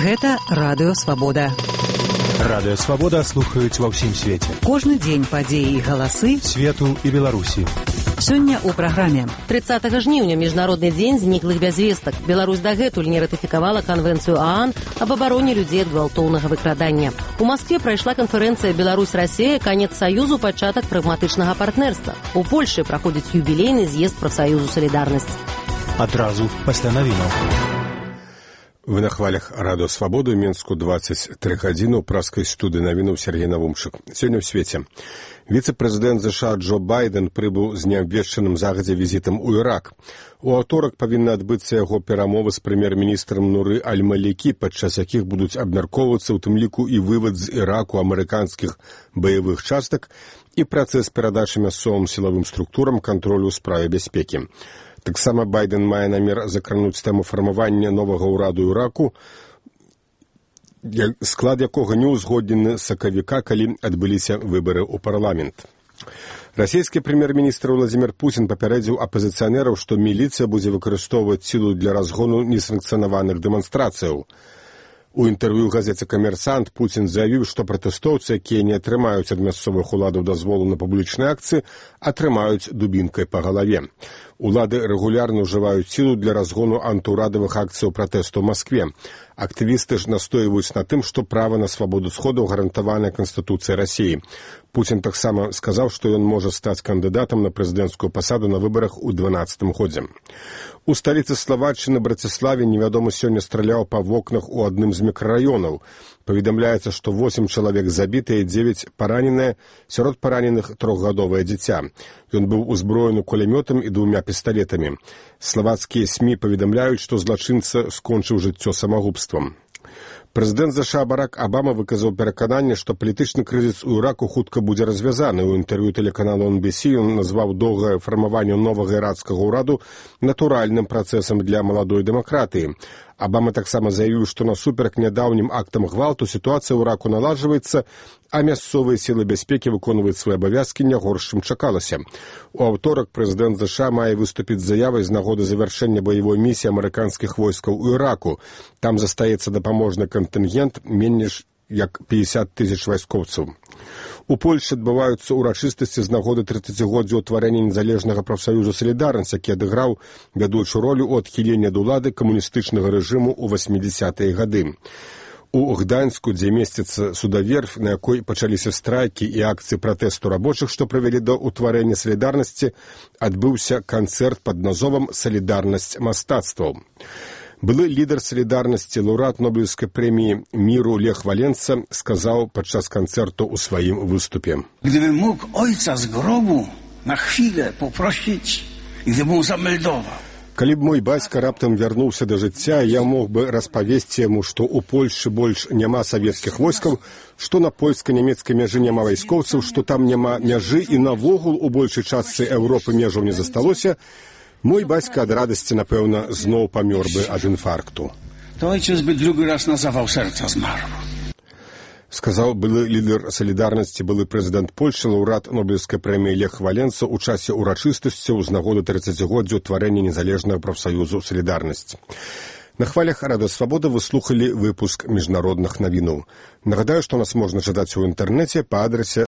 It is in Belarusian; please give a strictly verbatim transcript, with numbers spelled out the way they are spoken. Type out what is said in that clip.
Гэта Радыё Свабода. Радыё Свабода слухаюць ва ўсім свеце. Кожны дзень падзеі і галасы свету і Беларусі. Сёння ў праграме. тридцатага жніўня міжнародны дзень зніклых без вестак. Беларусь дагэтуль не ратыфікавала канвенцыю ААН аб абароне людзей ад гвалтоўнага выкрадання. У Маскве прайшла канферэнцыя Беларусь-Расія канец саюзу, пачатак прагматычнага партнерства. У Польшы праходзіць юбілейны з'езд прафсаюзу «Салідарнасць». Адразу пасля навінаў. Вы на хвалях Радыё Свабоды, Менску двадцать три гадзіны, ў праскай студыі навінаў Сергей Навумчык. Сёння ў свеце. Віцэ-прэзідэнт ЗША Джо Байден прыбыў з неабвешчаным загадзя візітам у Ірак. У аўторак павінны адбыцца яго перамовы з прэм'ер-міністрам Нуры Аль-Малікі, падчас якіх будуць абмяркоўвацца ў тым ліку і вывад з Іраку амерыканскіх баявых частак і працэс перадачы мясцовым сілавым структурам кантролю ў справе бяспекі. Таксама Байден мае намер закрануць тэму фармавання новага ўраду Іраку, склад якога не ўзгоднены з сакавіка, калі адбыліся выбары ў парламент. Расійскі прэм'ер-міністр Владзімір Пуцін папярэдзіў апазіцыянераў, што міліцыя будзе выкарыстоўваць сілу для разгону несанкцыянаваных дэманстрацыяў. У інтэрв'ю газеце «Камерсант» Пуцін заявіў, што пратэстоўцы, якія не атрымаюць ад мясцовых уладаў дазволу на публічныя акцыі, атрымаюць дубінкай па галаве. Улады рэгулярна ўжываюць сілу для разгону антыўрадавых акцыяў пратэсту ў Маскве. Актывісты ж настойваюць на тым, што права на свабоду сходаў гарантаванае Канстытуцыяй Расіі. Пуцін таксама сказаў, што ён можа стаць кандыдатам на прэзідэнцкую пасаду на выбарах у дванаццатым годзе. У сталіцы Славаччыны Браціславе невядомы сёння страляў па вокнах у адным з мікрараёнаў. Паведамляецца, што восем чалавек забітыя і дзевяць параненыя, сярод параненых трохгадовае дзіця. Ён быў узброены кулямётам і двумя пісталетамі. Славацкія СМІ паведамляюць, што злачынца скончыў жыццё самагубствам. Прэзідэнт ЗША Барак Абама выказаў перакананне, што палітычны крызіс у Іраку хутка будзе развязаны. У інтэрв'ю тэлеканалу эн би си ён назваў доўгае фармаванне новага ірацкага ўраду натуральным працэсам для маладой дэмакратыі. Абама таксама заявіў, што насуперак нядаўнім актам гвалту сітуацыя ў Іраку наладжваецца, а мясцовыя сілы бяспекі выконваюць свае абавязкі не горш, чым чакалася. У аўторак прэзідэнт ЗША мае выступіць з заявай з нагоды завяршэння баявой місіі амерыканскіх войскаў у Іраку. Там застаецца дапаможны кантынгент менш як пятьдесят тысяч вайскоўцаў. У Польшы адбываюцца ўрачыстасці з нагоды трыццацігоддзя ўтварэння незалежнага прафсаюзу «Салідарнасць», які адыграў вядучую ролю ў адхіленні ад улады камуністычнага рэжыму ў васьмідзясятыя гады. У Гданьску, дзе месціцца судаверф, на якой пачаліся страйкі і акцыі пратэсту рабочых, што прывялі да ўтварэння «Салідарнасці», адбыўся канцэрт пад назвам «Салідарнасць мастацтваў». Былы лідар «Салідарнасці», лаўрэат Нобелевскай прэміі міру Лех Валенца сказаў падчас канцэрту ў сваім выступе. Gdybym mógł ojca z grobu na chwilę poprosić, gdybym zameldował. Калі б мой бацька раптам вярнуўся да жыцця, я мог бы распавесці яму, што ў Польшы больш няма савецкіх войскаў, што на польска-нямецкай мяжы няма вайскоўцаў, што там няма мяжы і навогул у большай частцы Еўропы межаў не засталося, мой бацька ад радасці, напэўна, зноў памёр бы ад інфаркту. To ojciec by drugi raz na zawał serca zmarł. Сказаў былы лідар «Салідарнасці», былы прэзідэнт Польшы, лаўрэат Нобелевскай прэміі Лех Валенца ў часе ўрачыстасцяў з нагоды трыццацігоддзя ўтварэння незалежнага прафсаюзу «Салідарнасць». На хвалях Радыё Свабода вы слухалі выпуск міжнародных навінаў. Нагадаю, што нас можна чытаць у інтэрнэце па адрасе